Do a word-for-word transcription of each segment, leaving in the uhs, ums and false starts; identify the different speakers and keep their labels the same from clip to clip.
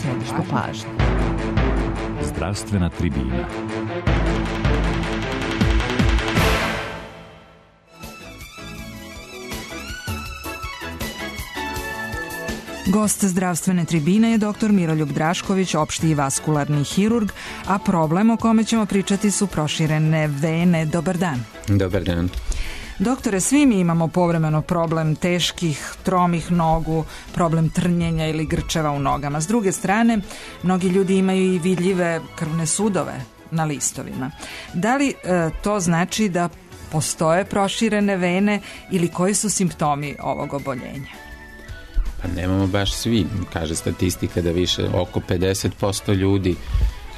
Speaker 1: Središte pažnje.
Speaker 2: Zdravstvena tribina.
Speaker 1: Gost zdravstvene tribine je doktor Miroljub Drašković, opšti i vaskularni hirurg, a problem o kome ćemo pričati su proširene vene. Dobar dan.
Speaker 3: Dobar dan.
Speaker 1: Doktore, svi mi imamo povremeno problem teških, tromih nogu, problem trnjenja ili grčeva u nogama. S druge strane, mnogi ljudi imaju i vidljive krvne sudove na listovima. Da li e, to znači da postoje proširene vene ili koji su simptomi ovog oboljenja?
Speaker 3: Pa nemamo baš svi. Kaže statistika da više oko pedeset posto ljudi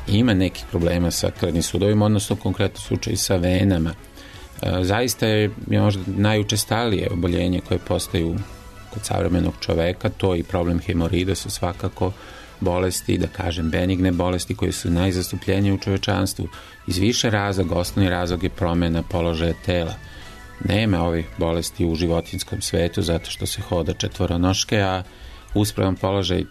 Speaker 3: ima nekih problema sa krvnim sudovima, odnosno konkretno slučaj sa venama. Zaista je možda najučestalije oboljenje koje postaju kod savremenog čoveka, to i problem hemorida su svakako bolesti, da kažem benigne bolesti koje su najzastupljenije u čovečanstvu. Iz više razloga, osnovni razlog je promjena položaja tela. Nema ovih bolesti u životinjskom svetu zato što se hoda četvoronoške, a uspravan položaj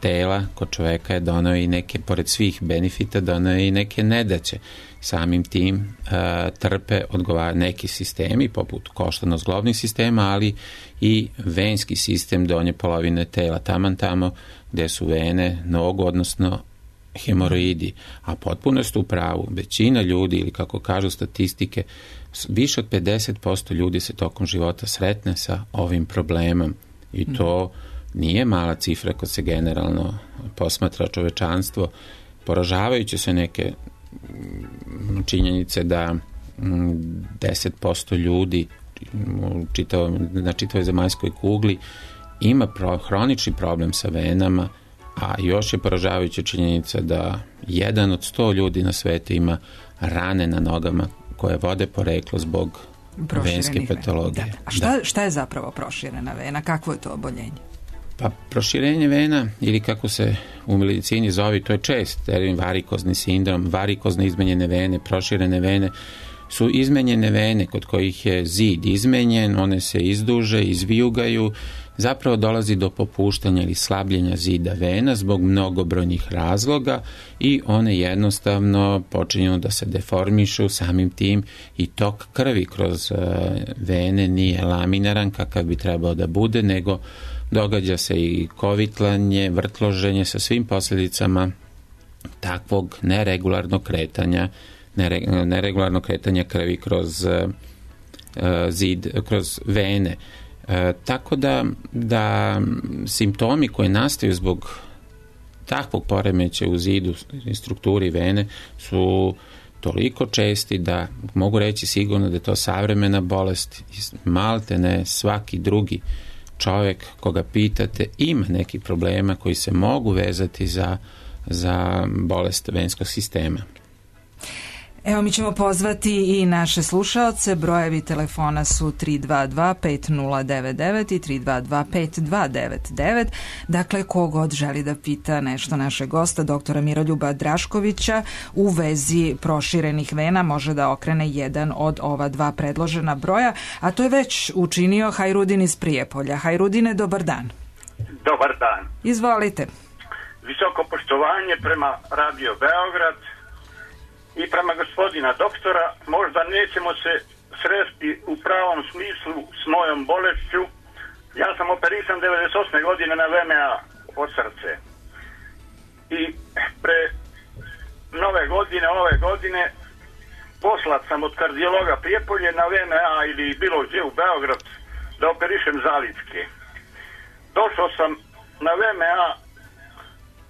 Speaker 3: tela kod čoveka je donao i neke, pored svih benefita, donao i neke nedaće. Samim tim uh, trpe odgovara neki sistemi, poput koštano-zglobnih sistema, ali i venski sistem donje polovine tela, taman tamo gde su vene, nogu, odnosno hemoroidi. A potpuno ste u pravu, većina ljudi, ili kako kažu statistike, više od pedeset posto ljudi se tokom života sretne sa ovim problemom i to nije mala cifra kad se generalno posmatra čovečanstvo. Poražavajuće se neke činjenice da deset posto ljudi na čitavoj zemaljskoj kugli ima pro, hronični problem sa venama, a još je poražavajuća činjenica da jedan od sto ljudi na svetu ima rane na nogama koje vode poreklo zbog venske patologije.
Speaker 1: Da. A šta, šta je zapravo proširena vena? Kakvo je to oboljenje?
Speaker 3: Pa proširenje vena, ili kako se u medicini zove, to je čest termin varikozni sindrom, varikozne izmenjene vene, proširene vene, su izmenjene vene kod kojih je zid izmenjen, one se izduže, izvijugaju, zapravo dolazi do popuštanja ili slabljenja zida vena zbog mnogobrojnih razloga i one jednostavno počinju da se deformišu, samim tim i tok krvi kroz vene nije laminaran kakav bi trebao da bude, nego događa se i kovitlanje, vrtloženje sa svim posljedicama takvog neregularnog kretanja, nere, neregularnog kretanja krvi kroz uh, zid, kroz vene. Uh, tako da, da simptomi koji nastaju zbog takvog poremeća u zidu i strukturi vene su toliko česti da mogu reći sigurno da je to savremena bolest, malte ne svaki drugi čovjek koga pitate ima neki problema koji se mogu vezati za, za bolest venskog sistema.
Speaker 1: Evo, mi ćemo pozvati i naše slušaoce. Brojevi telefona su tri dva dva pet nula devet devet i tri dva dva pet dva devet devet. Dakle, kogod želi da pita nešto našeg gosta, doktora Miroljuba Draškovića, u vezi proširenih vena, može da okrene jedan od ova dva predložena broja, a to je već učinio Hajrudin iz Prijepolja. Hajrudine, dobar dan.
Speaker 4: Dobar dan.
Speaker 1: Izvolite.
Speaker 4: Visoko poštovanje prema Radio Beograd i prema gospodina doktora. Možda nećemo se sresti u pravom smislu s mojom bolešću. Ja sam operisan devedeset osme godine na V M A od srce. I pre nove godine, ove godine, poslat sam od kardiologa Prijepolje na V M A ili bilo gdje u Beograd da operišem zalitke. Došao sam na V M A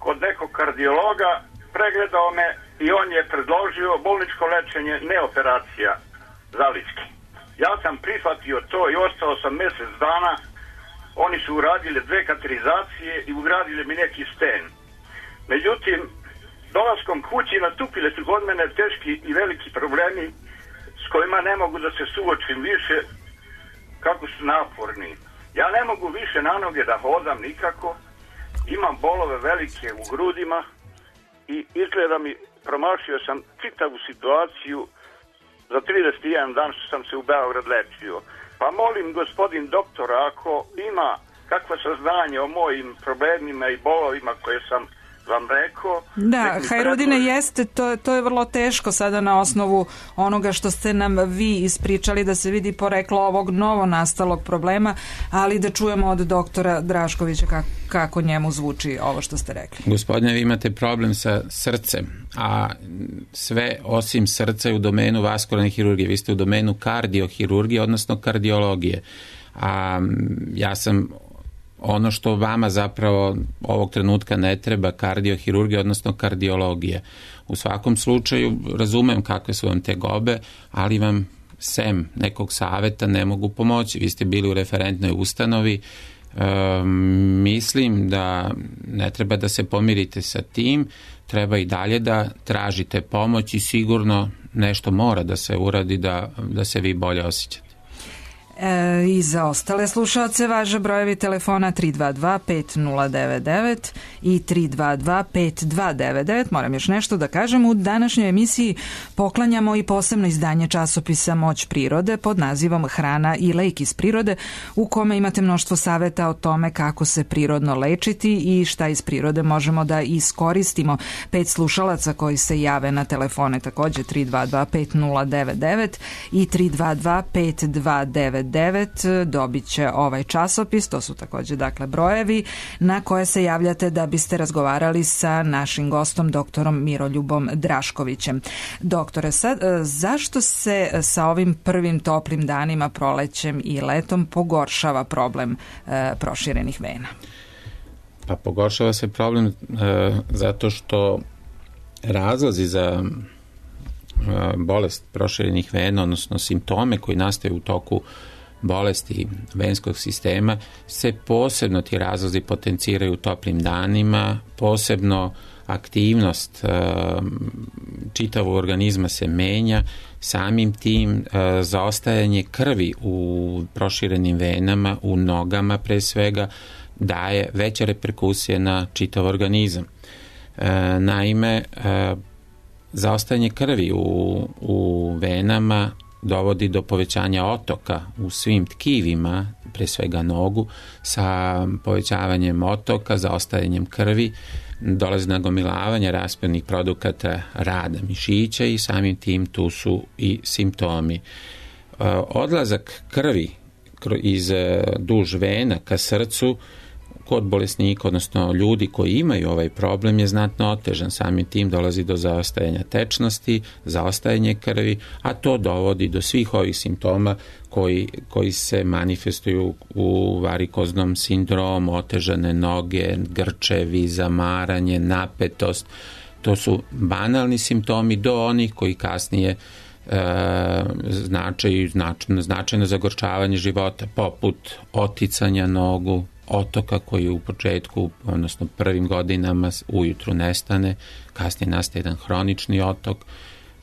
Speaker 4: kod nekog kardiologa, pregledao me i on je predložio bolničko lečenje, ne operacija zalitke. Ja sam prihvatio to i ostao sam mjesec dana. Oni su uradili dve katerizacije i ugradili mi neki sten. Međutim, dolaskom kući natupile su kod mene teški i veliki problemi s kojima ne mogu da se suočim više, kako su naporni. Ja ne mogu više na noge da hodam nikako, imam bolove velike u grudima i izgleda mi, promašio sam čitavu situaciju za trideset jedan dan što sam se u Beograd lečio. Pa molim gospodin doktora, ako ima kakvo saznanje o mojim problemima i bolovima koje sam vam rekao.
Speaker 1: Da, Hajrudine, jeste, to, to je vrlo teško sada na osnovu onoga što ste nam vi ispričali, da se vidi poreklo ovog novo nastalog problema, ali da čujemo od doktora Draškovića kako, kako njemu zvuči ovo što ste rekli.
Speaker 3: Gospodine, vi imate problem sa srcem, a sve osim srca je u domenu vaskularne hirurgije. Vi ste u domenu kardiohirurgije, odnosno kardiologije. A ja sam ono što vama zapravo ovog trenutka ne treba, kardiohirurgija, odnosno kardiologija. U svakom slučaju razumem kakve su vam tegobe, ali vam sem nekog saveta ne mogu pomoći. Vi ste bili u referentnoj ustanovi. E, mislim da ne treba da se pomirite sa tim, treba i dalje da tražite pomoć i sigurno nešto mora da se uradi da, da se vi bolje osjećate.
Speaker 1: E, I za ostale slušalce važe brojevi telefona tri dva dva pet nula devet devet i tri dva dva pet dva devet devet. Moram još nešto da kažem, u današnjoj emisiji poklanjamo i posebno izdanje časopisa Moć prirode pod nazivom Hrana i lek iz prirode, u kome imate mnoštvo saveta o tome kako se prirodno lečiti i šta iz prirode možemo da iskoristimo. Pet slušalaca koji se jave na telefone takođe tri dva dva pet nula devet devet i tri dva dva pet dva devet devet dobit će ovaj časopis. To su takođe dakle brojevi na koje se javljate da biste razgovarali sa našim gostom doktorom Miroljubom Draškovićem. Doktore, sad, zašto se sa ovim prvim toplim danima, prolećem i letom pogoršava problem e, proširenih vena?
Speaker 3: Pa pogoršava se problem e, zato što razlozi za e, bolest proširenih vena, odnosno simptome koji nastaju u toku bolesti venskog sistema, se posebno ti razlozi potenciraju u toplim danima, posebno aktivnost e, čitavog organizma se menja, samim tim e, zaostajanje krvi u proširenim venama, u nogama pre svega, daje veće reperkusije na čitav organizam. E, naime, e, zaostajanje krvi u, u venama dovodi do povećanja otoka u svim tkivima, pre svega nogu, sa povećavanjem otoka, zaostajanjem krvi, dolazi nagomilavanje raspadnih produkata rada mišića i samim tim tu su i simptomi. Odlazak krvi iz duž vena ka srcu kod bolesnika, odnosno ljudi koji imaju ovaj problem, je znatno otežan. Samim tim dolazi do zaostajanja tečnosti, zaostajanje krvi, a to dovodi do svih ovih simptoma koji, koji se manifestuju u varikoznom sindromu, otežane noge, grčevi, zamaranje, napetost. To su banalni simptomi do onih koji kasnije e, značaju značajno, značajno zagorčavanje života, poput oticanja nogu, otoka koji u početku, odnosno prvim godinama ujutru nestane, kasnije nastaje jedan hronični otok,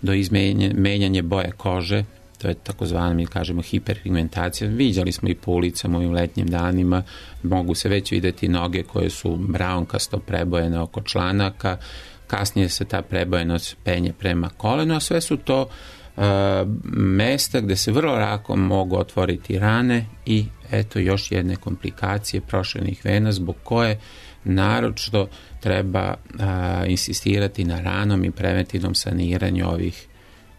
Speaker 3: do izmenjanja boje kože, to je takozvana, mi kažemo, hiperpigmentacija. Viđali smo i po ulicama u ovim letnjim danima, mogu se već videti noge koje su braunkasto prebojene oko članaka, kasnije se ta prebojenost penje prema kolenu, a sve su to uh, mesta gde se vrlo lako mogu otvoriti rane i eto još jedne komplikacije proširenih vena zbog koje naročito treba a, insistirati na ranom i preventivnom saniranju ovih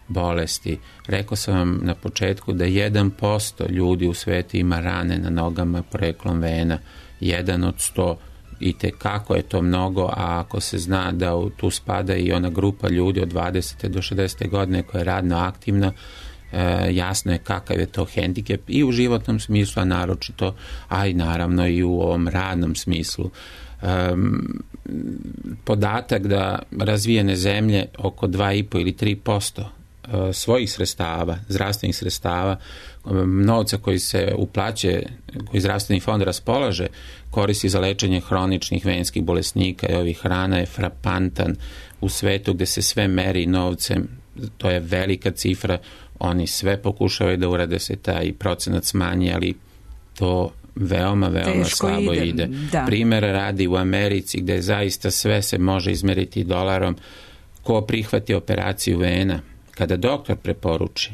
Speaker 3: bolesti. Rekao sam vam na početku da jedan posto ljudi u svetu ima rane na nogama poreklom vena, jedan od sto, i te kako je to mnogo, a ako se zna da u, tu spada i ona grupa ljudi od dvadesete do šezdesete godine koja je radno aktivna, E, jasno je kakav je to hendikep i u životnom smislu, a naročito, a i naravno i u ovom radnom smislu. E, podatak da razvijene zemlje oko dva i po ili tri posto e, svojih sredstava, zdravstvenih sredstava, novca koji se uplaćuje, koji zdravstveni fond raspolaže, koristi za lečenje hroničnih venskih bolesnika i ovih rana, je frapantan u svetu gde se sve meri novcem. To je velika cifra. Oni sve pokušavaju da urade se taj procenat smanji, ali to veoma, veoma
Speaker 1: teško
Speaker 3: slabo
Speaker 1: ide.
Speaker 3: ide.
Speaker 1: Da.
Speaker 3: Primera radi u Americi gde zaista sve se može izmeriti dolarom. Ko prihvati operaciju vena, kada doktor preporuči,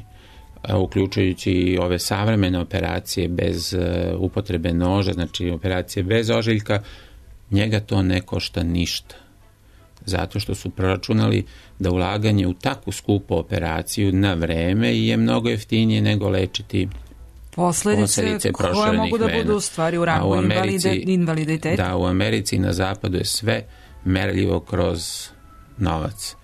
Speaker 3: uključujući i ove savremene operacije bez upotrebe noža, znači operacije bez ožiljka, njega to ne košta ništa. Zato što su proračunali da ulaganje u takvu skupu operaciju na vreme je mnogo jeftinije nego lečiti
Speaker 1: Posledice,
Speaker 3: posledice
Speaker 1: koje mogu da
Speaker 3: vena.
Speaker 1: budu u stvari u rangu invaliditeta.
Speaker 3: Da, u Americi i na zapadu je sve merljivo kroz novac.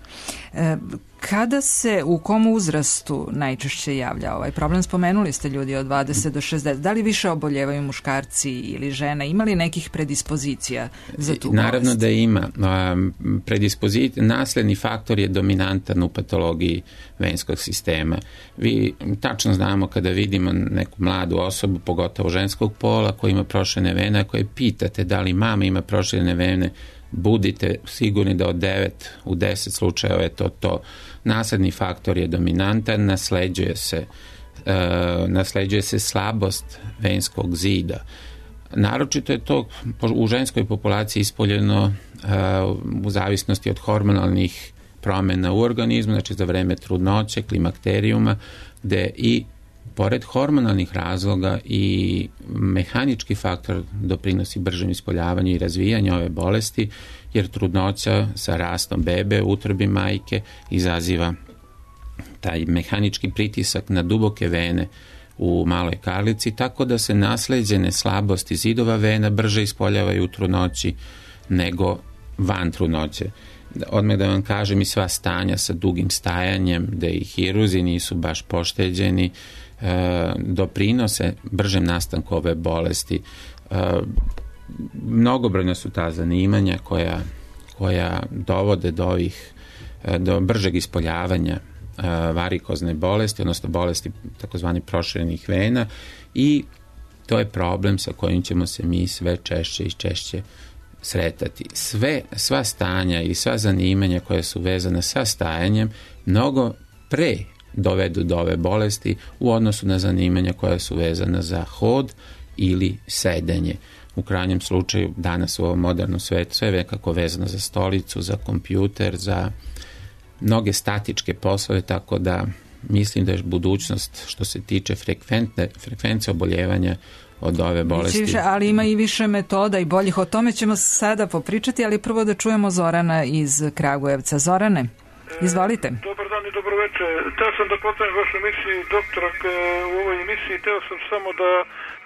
Speaker 1: E, kada se, u kom uzrastu najčešće javlja ovaj problem? Spomenuli ste ljudi od dvadeset do šezdeset. Da li više oboljevaju muškarci ili žene? Ima li nekih predispozicija za tu bolest?
Speaker 3: Naravno da ima. Predispozicija, nasledni faktor je dominantan u patologiji venskog sistema. Vi tačno znamo kada vidimo neku mladu osobu, pogotovo ženskog pola, koja ima proširene vene, koje pitate da li mama ima proširene vene, budite sigurni da od devet u deset slučajeva je to to. Nasledni faktor je dominantan, nasleđuje se, uh, nasleđuje se slabost venskog zida. Naročito je to u ženskoj populaciji ispoljeno uh, u zavisnosti od hormonalnih promjena u organizmu, znači za vreme trudnoće, klimakterijuma, gde i pored hormonalnih razloga i mehanički faktor doprinosi bržem ispoljavanju i razvijanju ove bolesti, jer trudnoća sa rastom bebe u utrobi majke izaziva taj mehanički pritisak na duboke vene u maloj karlici, tako da se nasleđene slabosti zidova vena brže ispoljavaju u trudnoći nego van trudnoće. Odmah da vam kažem, i sva stanja sa dugim stajanjem, da i hiruzi nisu baš pošteđeni, e, doprinose bržem nastanku ove bolesti. E, mnogobrojna su ta zanimanja koja, koja dovode do ovih, do bržeg ispoljavanja e, varikozne bolesti, odnosno bolesti takozvani proširenih vena, i to je problem sa kojim ćemo se mi sve češće i češće sretati. Sve, sva stanja i sva zanimanja koja su vezana sa stajanjem mnogo pre dovedu do ove bolesti u odnosu na zanimanja koja su vezana za hod ili sedenje. U krajnjem slučaju danas u ovom modernom svetu sve je nekako vezano za stolicu, za kompjuter, za mnoge statičke poslove, tako da mislim da je budućnost što se tiče frekventne, frekvencije oboljevanja od ove bolesti.
Speaker 1: Više, ali ima i više metoda i boljih. O tome ćemo sada popričati, ali prvo da čujemo Zorana iz Kragujevca. Zorane, izvolite.
Speaker 5: E, dobar dan i dobro večer. Teo sam da postavim vašu emisiju, doktora, u ovoj emisiji teo sam samo da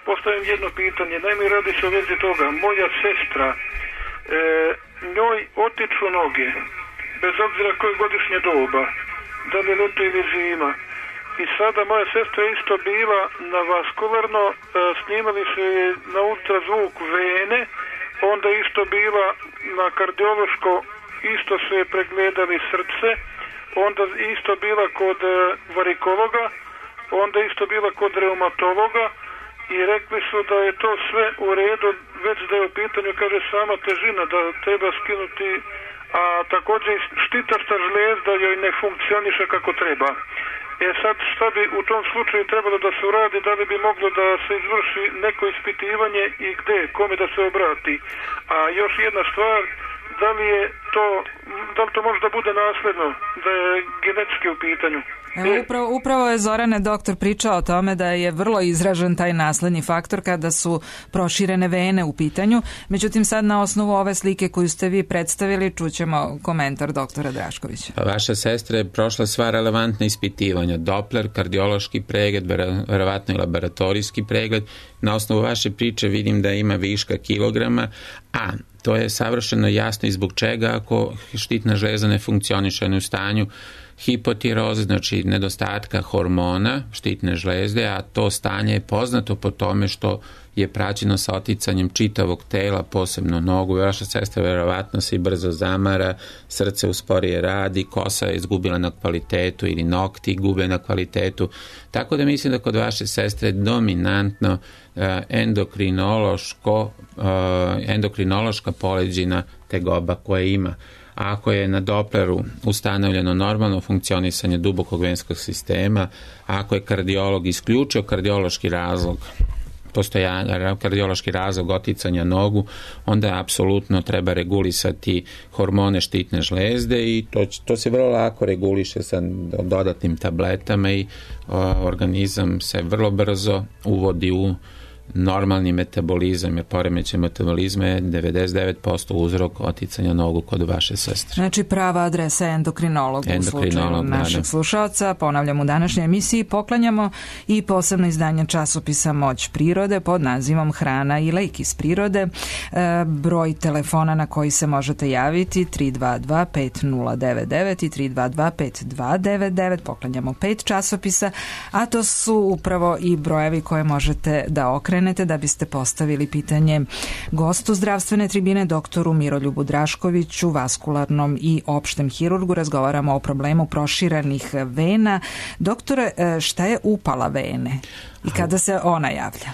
Speaker 5: postavim jedno pitanje. Naime, radi se o vezi toga. Moja sestra, e, njoj otiču noge, bez obzira koje godišnje doba, da li leto ili zima. I sada moja sestra isto bila na vaskularno, e, snimali su je na ultrazvuk vene, onda isto bila na kardiološko, isto su je pregledali srce, onda isto bila kod e, varikologa, onda isto bila kod reumatologa i rekli su da je to sve u redu, već da je u pitanju, kaže, sama težina, da treba skinuti, a također štitasta žlijezda joj ne funkcioniše kako treba. E sad, šta bi u tom slučaju trebalo da se uradi, da li bi moglo da se izvrši neko ispitivanje i gde, kome da se obrati? A još jedna stvar, da li je to, da li to može da bude nasledno, da je genetski u pitanju?
Speaker 1: Evo, upravo, upravo je Zorane doktor pričao o tome da je vrlo izražen taj nasledni faktor kada su proširene vene u pitanju. Međutim, sad na osnovu ove slike koju ste vi predstavili čućemo komentar doktora Draškovića.
Speaker 3: Pa vaša sestra je prošla sva relevantna ispitivanja. Doppler, kardiološki pregled, verovatno i laboratorijski pregled. Na osnovu vaše priče vidim da ima viška kilograma, a to je savršeno jasno i zbog čega ako štitna žlezda ne funkcioniše u stanju hipotiroze, znači nedostatka hormona štitne žlezde, a to stanje je poznato po tome što je praćeno sa oticanjem čitavog tela, posebno nogu. Vaša sestra verovatno se i brzo zamara, srce usporije radi, kosa je izgubila na kvalitetu ili nokti gube na kvalitetu. Tako da mislim da kod vaše sestre dominantno uh, endokrinološko, uh, endokrinološka poleđina tegoba koje ima. A ako je na Doppleru ustanovljeno normalno funkcionisanje dubokog venskog sistema, ako je kardiolog isključio kardiološki razlog postojanja, kardiološki razlog oticanja nogu, onda apsolutno treba regulisati hormone štitne žlezde i to, to se vrlo lako reguliše sa dodatnim tabletama i o, organizam se vrlo brzo uvodi u normalni metabolizam, jer poremećaj metabolizma je devedeset devet posto uzrok oticanja nogu kod vaše sestre.
Speaker 1: Znači prava adresa je endokrinolog,
Speaker 3: endokrinolog
Speaker 1: u slučaju našeg da, da. slušaoca. Ponavljam, u današnjoj emisiji poklanjamo i posebno izdanje časopisa Moć prirode pod nazivom Hrana i lek iz prirode. E, broj telefona na koji se možete javiti tri dva dva pet nula devet devet i tri dva dva pet dva devet devet. Poklanjamo pet časopisa, a to su upravo i brojevi koje možete da okrenete da biste postavili pitanje gostu zdravstvene tribine, doktoru Miroljubu Draškoviću, vaskularnom i opštem hirurgu. Razgovaramo o problemu proširenih vena. Doktore, šta je upala vene i kada se ona javlja?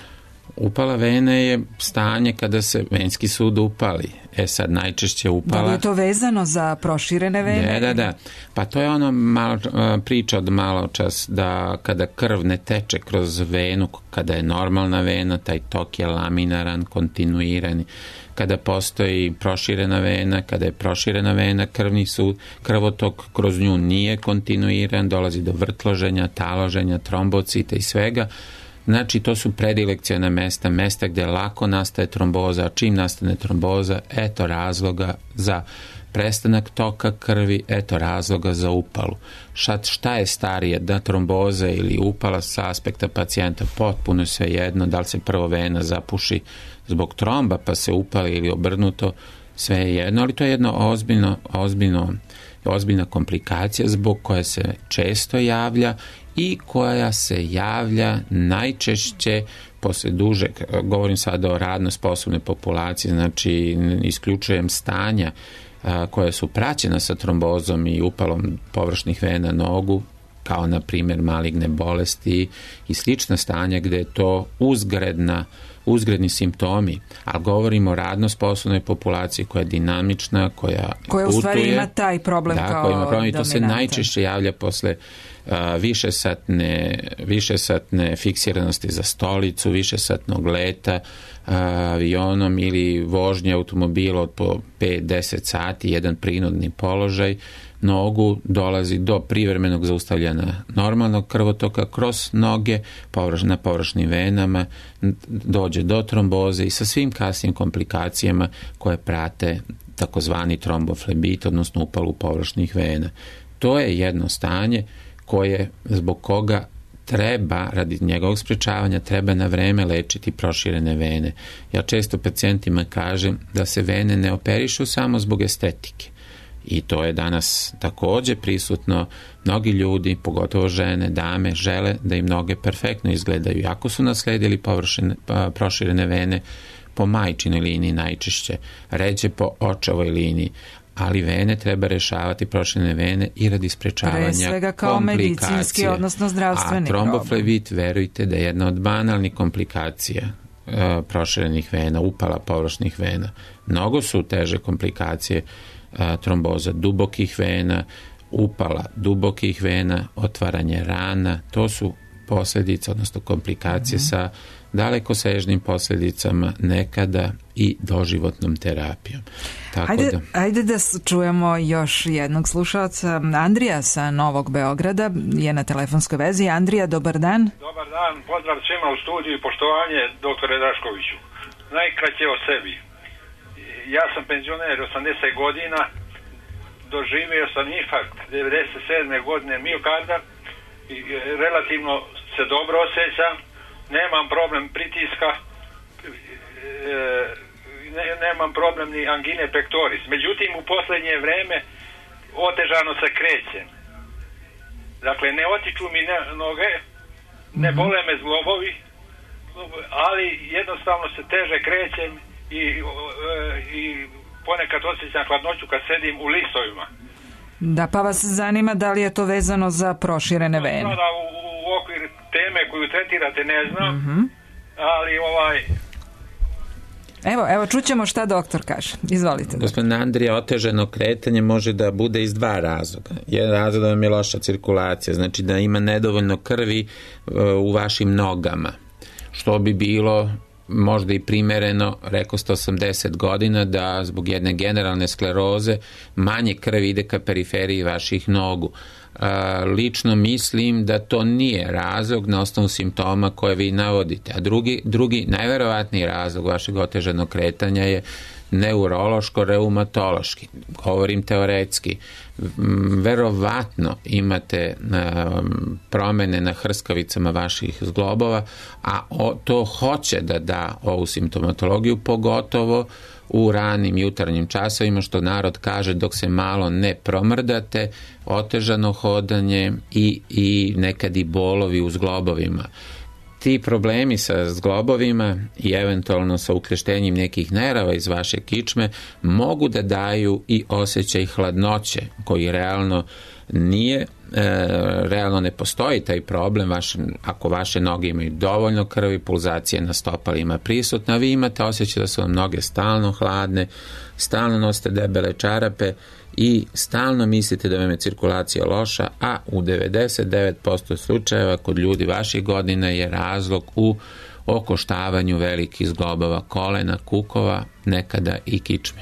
Speaker 3: Upala vene je stanje kada se venski sud upali. E sad najčešće upala...
Speaker 1: Da li je to vezano za proširene vene?
Speaker 3: Da, da, da. Pa to je ono malo, priča od malo čas da kada krv ne teče kroz venu, kada je normalna vena, taj tok je laminaran, kontinuiran. Kada postoji proširena vena, kada je proširena vena, krvni sud, krvotok kroz nju nije kontinuiran, dolazi do vrtloženja, taloženja, trombocita i svega. Znači, to su predilekciona mesta, mesta gde lako nastaje tromboza, a čim nastane tromboza, eto razloga za prestanak toka krvi, eto razloga za upalu. Šta, šta je starije, da tromboza ili upala sa aspekta pacijenta, potpuno sve jedno, da li se prvo vena zapuši zbog tromba pa se upali ili obrnuto, sve je jedno, ali to je jedno ozbiljno, ozbiljno, ozbiljna komplikacija zbog koje se često javlja i koja se javlja najčešće posle dužeg, govorim sada o radno sposobnoj populaciji, znači isključujem stanja a, koja su praćena sa trombozom i upalom površnih vena nogu, kao na primjer maligne bolesti i slična stanja gde je to uzgredna uzgredni simptomi, ali govorimo o radno sposobnoj populaciji koja je dinamična, koja
Speaker 1: koja u stvari ima taj problem
Speaker 3: da,
Speaker 1: kao
Speaker 3: koja ima problem i to
Speaker 1: dominantan.
Speaker 3: Se najčešće javlja posle uh, višesatne, višesatne fiksiranosti za stolicu, višesatnog leta uh, avionom ili vožnje automobila od po pet do deset sati, jedan prinudni položaj, nogu dolazi do privremenog zaustavljanja normalnog krvotoka kroz noge na površnim venama, dođe do tromboze i sa svim kasnim komplikacijama koje prate takozvani tromboflebit, odnosno upalu površnih vena. To je jedno stanje koje, zbog koga treba, radi njegovog sprečavanja, treba na vreme lečiti proširene vene. Ja često pacijentima kažem da se vene ne operišu samo zbog estetike. I to je danas takođe prisutno. Mnogi ljudi, pogotovo žene, dame, žele da im noge perfektno izgledaju. Iako su nasledili površine, proširene vene po majčinoj liniji najčešće, ređe po očevoj liniji, ali vene treba rešavati, proširene vene i radi sprečavanja komplikacije. Pre svega
Speaker 1: kao medicinski, odnosno zdravstveni problem.
Speaker 3: A tromboflebit, verujte da je jedna od banalnih komplikacija uh, proširenih vena, upala površnih vena. Mnogo su teže komplikacije tromboza dubokih vena, upala dubokih vena, otvaranje rana, to su posljedice, odnosno komplikacije mm-hmm. sa dalekosežnim posljedicama, nekada i doživotnom terapijom. Tako
Speaker 1: ajde,
Speaker 3: da...
Speaker 1: ajde da čujemo još jednog slušalca. Andrija sa Novog Beograda je na telefonskoj vezi. Andrija, dobar dan.
Speaker 6: Dobar dan, pozdrav svima u studiju i poštovanje doktore Draškoviću. Najkraće o sebi. Ja sam penzioner osamdeset godina, doživio sam infarkt devedeset sedme godine miokarda i relativno se dobro osjećam, nemam problem pritiska, ne, nemam problem ni angine pectoris. Međutim, u posljednje vreme otežano se krećem. Dakle, ne otiču mi ne, noge, ne bole me zglobovi, ali jednostavno se teže krećem i, i ponekad osjećam hladnoću kad sedim u listovima.
Speaker 1: Da, pa vas zanima da li je to vezano za proširene vene?
Speaker 6: No, da, u, u okvir teme koju tretirate ne znam, mm-hmm. ali ovaj...
Speaker 1: Evo, evo, čućemo šta doktor kaže. Izvolite.
Speaker 3: Gospodin Andrija, otežano kretanje može da bude iz dva razloga. Jedan razlog da vam je loša cirkulacija, znači da ima nedovoljno krvi u vašim nogama, što bi bilo možda i primereno, rekao sto osamdeset godina, da zbog jedne generalne skleroze manje krvi ide ka periferiji vaših nogu. Lično mislim da to nije razlog na osnovu simptoma koje vi navodite. A drugi, drugi najverovatniji razlog vašeg otežanog kretanja je neurološko-reumatološki. Govorim teoretski. Verovatno imate promene na hrskavicama vaših zglobova, a to hoće da da ovu simptomatologiju, pogotovo u ranim jutarnjim časovima, što narod kaže, dok se malo ne promrdate, otežano hodanje i, i nekad i bolovi u zglobovima. Ti problemi sa zglobovima i eventualno sa ukreštenjem nekih nerava iz vaše kičme mogu da daju i osjećaj hladnoće, koji realno nije, e, realno ne postoji taj problem. Vaše, ako vaše noge imaju dovoljno krvi, pulzacija na stopalima prisutna, vi imate osjećaj da su vam noge stalno hladne, stalno nosite debele čarape i stalno mislite da vam je cirkulacija loša, a u devedeset devet posto slučajeva kod ljudi vaših godina je razlog u okoštavanju velikih zglobova kolena, kukova, nekada i kičme.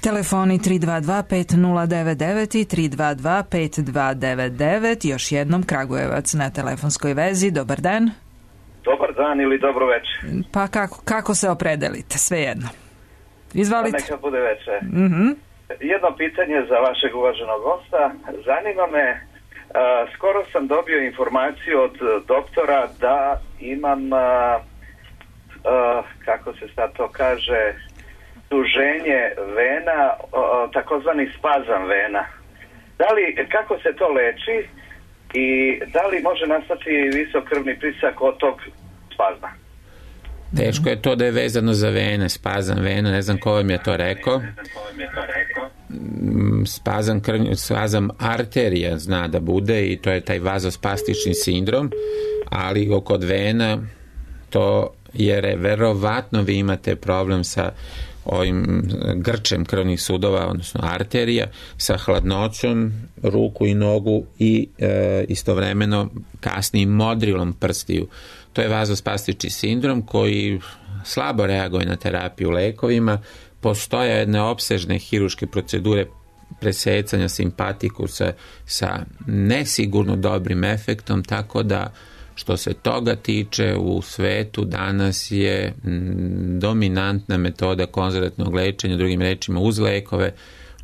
Speaker 1: Telefoni tri dva dva pet nula devet devet i tri dva dva pet dva devet devet. Još jednom Kragujevac na telefonskoj vezi. Dobar dan.
Speaker 7: Dobar dan ili dobro večer.
Speaker 1: Pa kako, kako se opredelite? Svejedno. Izvalite.
Speaker 7: Neka bude večer.
Speaker 1: Mhm.
Speaker 7: Jedno pitanje za vašeg uvaženog gosta. Zanima me, uh, skoro sam dobio informaciju od doktora da imam, uh, uh, kako se sad to kaže, duženje vena, uh, takozvani spazam vena. Da li, kako se to leči i da li može nastati visok krvni pritisak od tog spazma?
Speaker 3: Teško je to da je vezano za vene, spazam vena, ne znam ko vam je to rekao. Spazam, krvnju, spazam arterija zna da bude i to je taj vazospastični sindrom, ali kod vena to je verovatno vi imate problem sa ovim grčem krvnih sudova, odnosno arterija, sa hladnoćom ruku i nogu i e, istovremeno kasnim modrilom prstiju. To je vazospastični sindrom koji slabo reaguje na terapiju lekovima. Postoje jedne opsežne hiruške procedure presecanja simpatikusa sa nesigurno dobrim efektom, tako da što se toga tiče u svetu danas je dominantna metoda konzervativnog lečenja, drugim rečima uz lekove,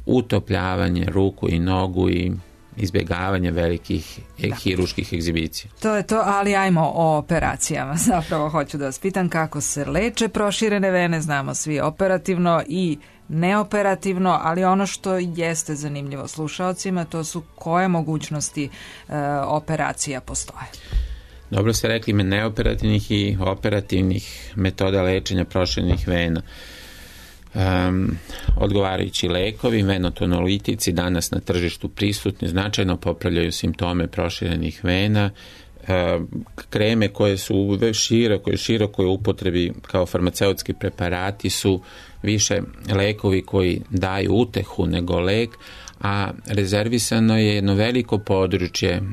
Speaker 3: utopljavanje ruku i nogu i izbjegavanje velikih da. hiruških egzibicija.
Speaker 1: To je to, ali ajmo o operacijama. Zapravo hoću da vas pitam kako se leče proširene vene, znamo svi operativno i neoperativno, ali ono što jeste zanimljivo slušaocima, to su koje mogućnosti e, operacija postoje.
Speaker 3: Dobro ste rekli, me neoperativnih i operativnih metoda lečenja proširenih vena. Um, odgovarajući lekovi, venotonolitici danas na tržištu prisutni, značajno popravljaju simptome proširenih vena. Um, kreme koje su u širokoj, širokoj upotrebi kao farmaceutski preparati su više lekovi koji daju utehu nego lek, a rezervisano je jedno veliko područje uh,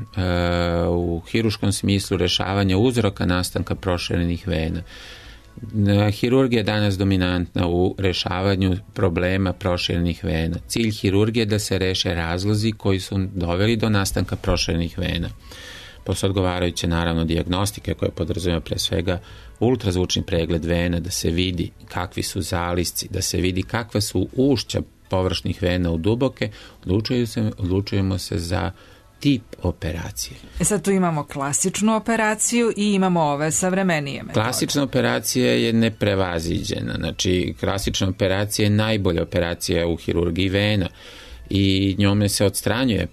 Speaker 3: u hiruškom smislu rešavanja uzroka nastanka proširenih vena. Hirurgija je danas dominantna u rešavanju problema proširenih vena. Cilj hirurgije je da se reše razlozi koji su doveli do nastanka proširenih vena. Posle odgovarajuće naravno dijagnostike koje podrazumijeva pre svega ultrazvučni pregled vena, da se vidi kakvi su zalisci, da se vidi kakva su ušća površnih vena u duboke, odlučujemo se, odlučujemo se za tip operacije.
Speaker 1: E sad tu imamo klasičnu operaciju i imamo ove savremenije metode.
Speaker 3: Klasična operacija je neprevaziđena. Znači, klasična operacija je najbolja operacija u hirurgiji vena i njome se odstranjuje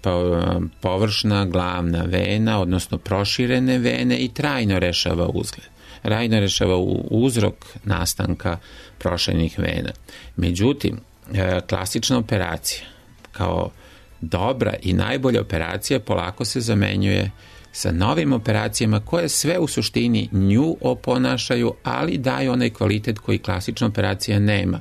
Speaker 3: površna glavna vena, odnosno proširene vene i trajno rešava uzgled. Trajno rešava uzrok nastanka proširenih vena. Međutim, klasična operacija kao dobra i najbolja operacija polako se zamenjuje sa novim operacijama koje sve u suštini nju oponašaju, ali daju onaj kvalitet koji klasična operacija nema.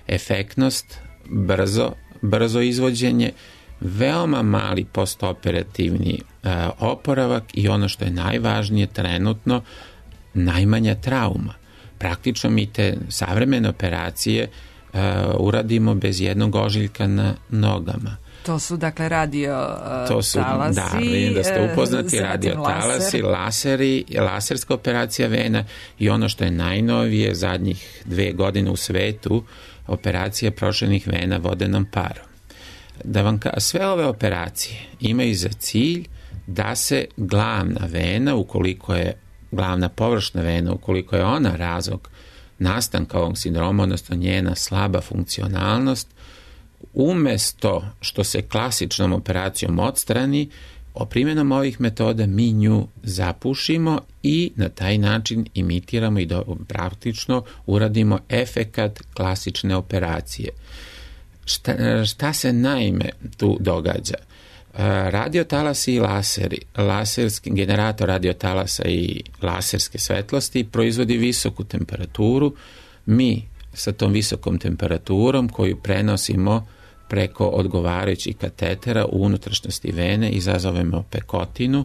Speaker 3: Efektnost, brzo, brzo izvođenje, veoma mali postoperativni e, oporavak i ono što je najvažnije trenutno, najmanja trauma. Praktično mi te savremene operacije uh, uradimo bez jednog ožiljka na nogama.
Speaker 1: To su dakle radio uh,
Speaker 3: to su,
Speaker 1: talasi.
Speaker 3: Da, vidim da ste upoznati,
Speaker 1: uh,
Speaker 3: radio talasi,
Speaker 1: laser.
Speaker 3: laseri, laserska operacija vena i ono što je najnovije zadnjih dve godine u svetu, operacija proširenih vena vodenom parom. Da vam ka, sve ove operacije imaju za cilj da se glavna vena, ukoliko je glavna površna vena, ukoliko je ona razlog nastanka ovog sindroma, odnosno njena slaba funkcionalnost, umesto što se klasičnom operacijom odstrani, o primjenom ovih metoda mi nju zapušimo i na taj način imitiramo i do, praktično uradimo efekat klasične operacije. Šta, šta se naime tu događa? Radiotalasi i laseri, laserski generator radiotalasa i laserske svetlosti proizvodi visoku temperaturu. Mi sa tom visokom temperaturom koju prenosimo preko odgovarajućih katetera u unutrašnjosti vene izazovemo pekotinu,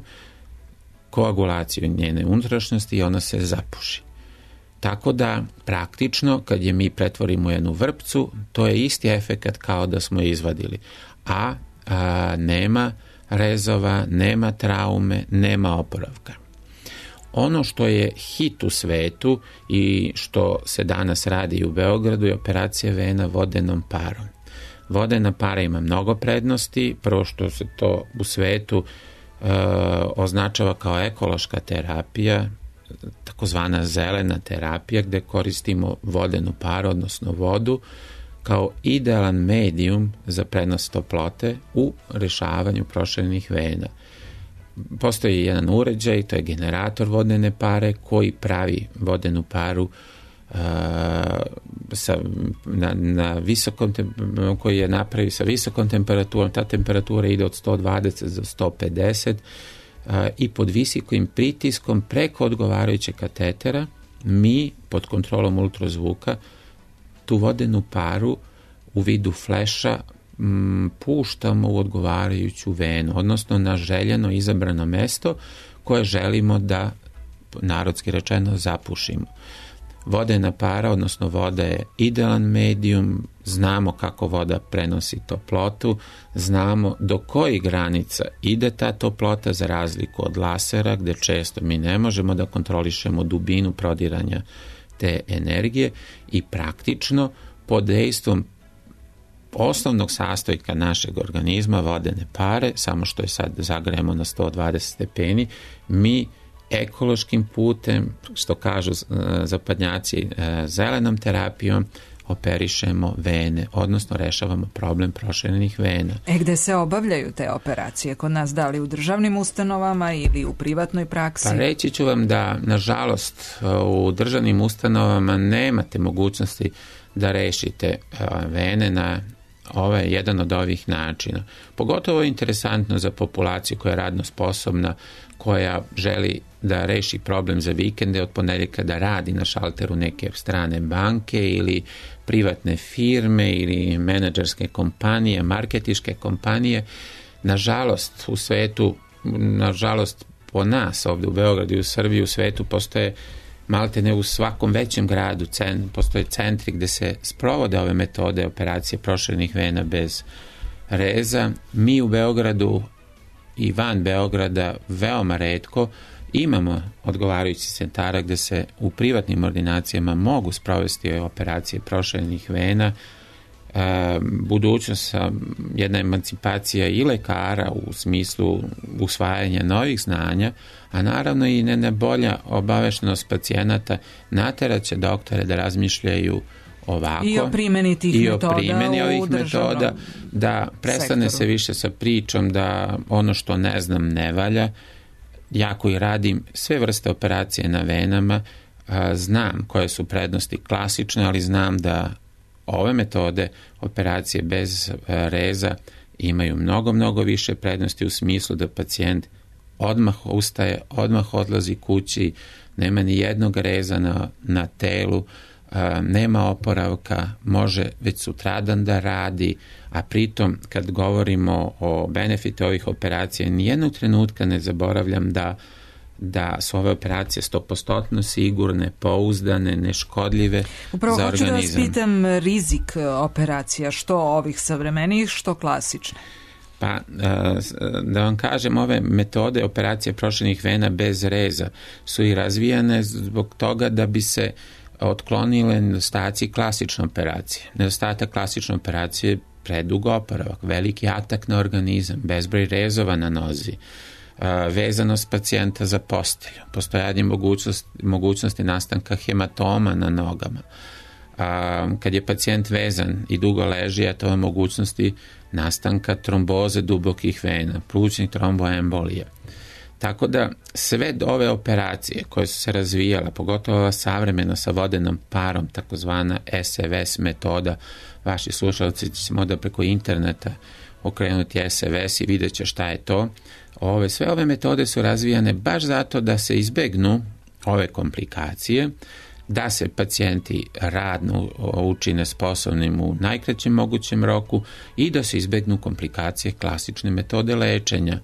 Speaker 3: koagulaciju njene unutrašnjosti i ona se zapuši. Tako da praktično kad je mi pretvorimo u jednu vrpcu, to je isti efekat kao da smo je izvadili, a, a nema rezova, nema traume, nema oporavka. Ono što je hit u svetu i što se danas radi u Beogradu je operacija vena vodenom parom. Vodena para ima mnogo prednosti, prvo što se to u svetu e, označava kao ekološka terapija, takozvana zelena terapija, gde koristimo vodenu paru, odnosno vodu, kao idealan medijum za prenos toplote u rešavanju proširenih vena. Postoji jedan uređaj, to je generator vodene pare koji pravi vodenu paru uh, sa, na, na visokom, koji je napravi sa visokom temperaturom. Ta temperatura ide od sto dvadeset do sto pedeset uh, i pod visokim pritiskom preko odgovarajućeg katetera mi pod kontrolom ultrazvuka tu vodenu paru u vidu fleša puštamo u odgovarajuću venu, odnosno na željeno izabrano mesto koje želimo da, narodski rečeno, zapušimo. Vodena para, odnosno voda je idealan medijum, znamo kako voda prenosi toplotu, znamo do kojih granica ide ta toplota za razliku od lasera gde često mi ne možemo da kontrolišemo dubinu prodiranja te energije i praktično pod dejstvom osnovnog sastojka našeg organizma, vodene pare, samo što je sad zagrejemo na sto dvadeset stepeni, mi ekološkim putem, što kažu zapadnjaci, zelenom terapijom, operišemo vene, odnosno rešavamo problem proširenih vena.
Speaker 1: E gde se obavljaju te operacije? Kod nas da li u državnim ustanovama ili u privatnoj praksi?
Speaker 3: Pa reći ću vam da, nažalost, u državnim ustanovama nemate mogućnosti da rešite vene na ovaj jedan od ovih načina. Pogotovo je interesantno za populaciju koja je radno sposobna, koja želi da reši problem za vikende, od ponedeljka da radi na šalteru neke strane banke ili privatne firme ili menadžerske kompanije, marketiške kompanije. Nažalost, u svetu, nažalost po nas ovdje u Beogradu i u Srbiji, u svetu postoje malte ne u svakom većem gradu cent, postoje centri gde se sprovode ove metode operacije proširenih vena bez reza. Mi u Beogradu i van Beograda veoma retko imamo odgovarajući centara gde se u privatnim ordinacijama mogu sprovesti operacije proširenih vena. E, budućnost, jedna emancipacija i lekara u smislu usvajanja novih znanja, a naravno i ne, ne bolja obaveštenost pacijenata nateraće doktore da razmišljaju ovako
Speaker 1: i o primjeni tih
Speaker 3: i
Speaker 1: metoda
Speaker 3: o primjeni ovih metoda, da prestane
Speaker 1: sektoru.
Speaker 3: se više sa pričom da ono što ne znam ne valja. Ja koji radim sve vrste operacije na venama, a, znam koje su prednosti klasične, ali znam da ove metode operacije bez reza imaju mnogo, mnogo više prednosti u smislu da pacijent odmah ustaje, odmah odlazi kući, nema ni jednog reza na, na telu, nema oporavka, može već sutradan da radi, a pritom kad govorimo o benefitu ovih operacija, nijednog trenutka ne zaboravljam da da su ove operacije sto posto sigurne, pouzdane, neškodljive
Speaker 1: Upravo
Speaker 3: za organizam.
Speaker 1: Upravo hoću da vas pitam rizik operacija, što ovih savremenijih, što klasične?
Speaker 3: Pa, da vam kažem, ove metode operacije proširenih vena bez reza su i razvijane zbog toga da bi se otklonile nedostaci klasične operacije. Nedostatak klasične operacije je predug oporavak, veliki atak na organizam, bezbroj rezova na nozi, vezanost pacijenta za postelju, postojanje mogućnosti, mogućnosti nastanka hematoma na nogama. A, kad je pacijent vezan i dugo leži, eto ove mogućnosti nastanka tromboze dubokih vena, plućnih tromboembolija. Tako da sve ove operacije koje su se razvijala, pogotovo ova savremena sa vodenom parom, takozvana S V S metoda, vaši slušalci će možda preko interneta okrenuti S V S i vidjet će šta je to. Ove, sve ove metode su razvijane baš zato da se izbegnu ove komplikacije, da se pacijenti radno učine sposobnim u najkraćem mogućem roku i da se izbegnu komplikacije klasične metode lečenja.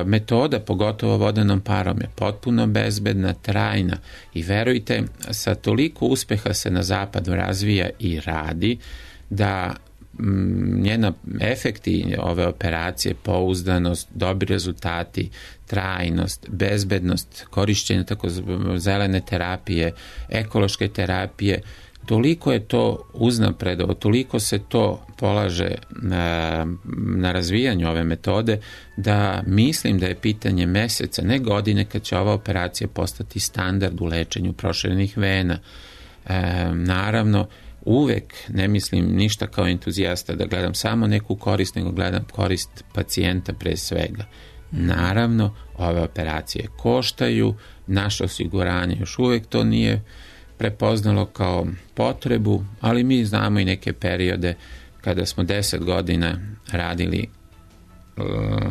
Speaker 3: Metoda, pogotovo vodenom parom, je potpuno bezbedna, trajna i verujte, sa toliko uspeha se na zapadu razvija i radi da njena efekti ove operacije, pouzdanost, dobri rezultati, trajnost, bezbednost, korišćenje tako zelene terapije, ekološke terapije, toliko je to uznapredovo, toliko se to polaže na, na razvijanju ove metode da mislim da je pitanje meseca, ne godine, kad će ova operacija postati standard u lečenju proširenih vena. E, naravno, uvek ne mislim ništa kao entuzijasta da gledam samo neku korist, nego gledam korist pacijenta pre svega. Naravno, ove operacije koštaju, naše osiguranje još uvek to nije prepoznalo kao potrebu, ali mi znamo i neke periode kada smo deset godina radili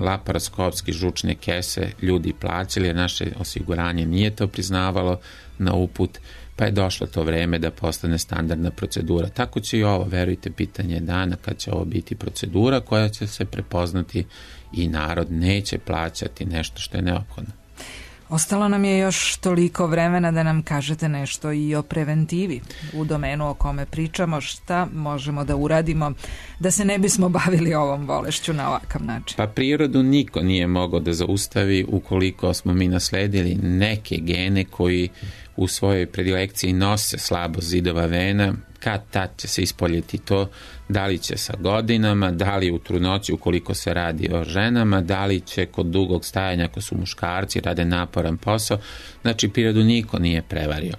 Speaker 3: laparoskopski žučne kese, ljudi plaćali, jer naše osiguranje nije to priznavalo na uput, pa je došlo to vreme da postane standardna procedura. Tako će i ovo, verujte, pitanje dana kad će ovo biti procedura koja će se prepoznati i narod neće plaćati nešto što je neophodno.
Speaker 1: Ostalo nam je još toliko vremena da nam kažete nešto i o preventivi u domenu o kome pričamo, šta možemo da uradimo da se ne bismo bavili ovom bolešću na ovakav način.
Speaker 3: Pa prirodu niko nije mogao da zaustavi ukoliko smo mi nasledili neke gene koji u svojoj predilekciji nose slabost zidova vena, kad tad će se ispoljeti to, da li će sa godinama, da li u trudnoći ukoliko se radi o ženama, da li će kod dugog stajanja ako su muškarci, rade naporan posao. Znači, prirodu niko nije prevario.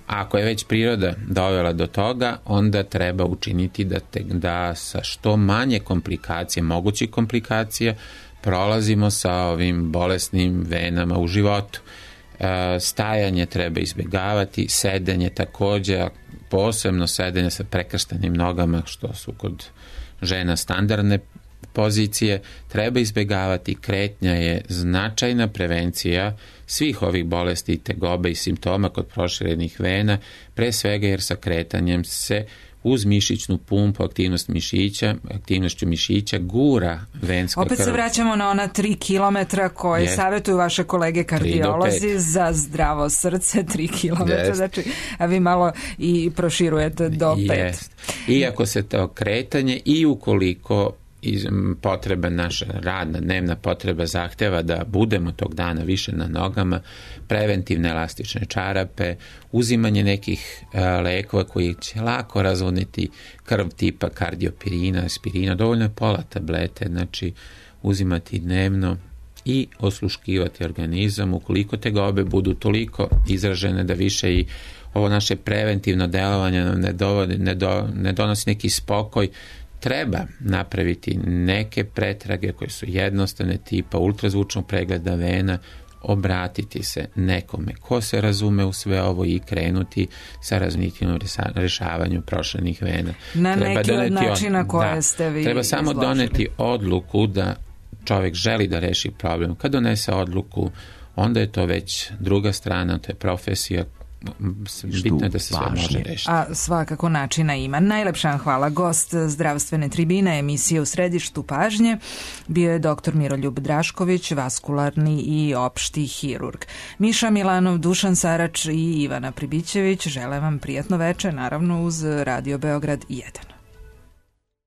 Speaker 3: Ako je već priroda dovela do toga, onda treba učiniti da, te, da sa što manje komplikacije, mogućih komplikacija, prolazimo sa ovim bolesnim venama u životu. E, stajanje treba izbjegavati, sedenje također, posebno sedenje sa prekrštenim nogama, što su kod žena standardne pozicije, treba izbjegavati. Kretnja je značajna prevencija svih ovih bolesti, tegobe i simptoma kod proširenih vena, pre svega jer sa kretanjem se uz mišićnu pumpu, aktivnost mišića, aktivnošću mišića gura venska krv.
Speaker 1: Opet se vraćamo na ona tri kilometra koje yes. savjetuju vaše kolege kardiolozi za zdravo srce, tri kilometra, yes. znači, a vi malo i proširujete do pet.
Speaker 3: Yes. Iako se to kretanje i ukoliko iz potreba naša radna, dnevna potreba zahteva da budemo tog dana više na nogama, preventivne elastične čarape, uzimanje nekih e, lekova koji će lako razvodniti krv tipa kardiopirina, aspirina, dovoljno je pola tablete, znači uzimati dnevno i osluškivati organizam ukoliko tegobe budu toliko izražene da više i ovo naše preventivno delovanje nam ne, dovodi, ne, do, ne donosi neki spokoj. Treba napraviti neke pretrage koje su jednostavne tipa ultrazvučnog pregleda vena, obratiti se nekome ko se razume u sve ovo i krenuti sa razmišljenim rešavanju proširenih vena.
Speaker 1: Na
Speaker 3: treba
Speaker 1: neki od načina
Speaker 3: od...
Speaker 1: koje
Speaker 3: da,
Speaker 1: ste vi
Speaker 3: treba samo
Speaker 1: izložili.
Speaker 3: doneti odluku da čovjek želi da reši problem. Kad donese odluku, onda je to već druga strana, to je profesija bitno je da se sve može rešiti.
Speaker 1: A svakako načina ima. Najlepša vam hvala. Gost zdravstvene tribine emisije U središtu pažnje bio je doktor Miroljub Drašković, vaskularni i opšti hirurg. Miša Milanov, Dušan Sarač i Ivana Pribićević žele vam prijatno veče, naravno uz Radio Beograd jedan.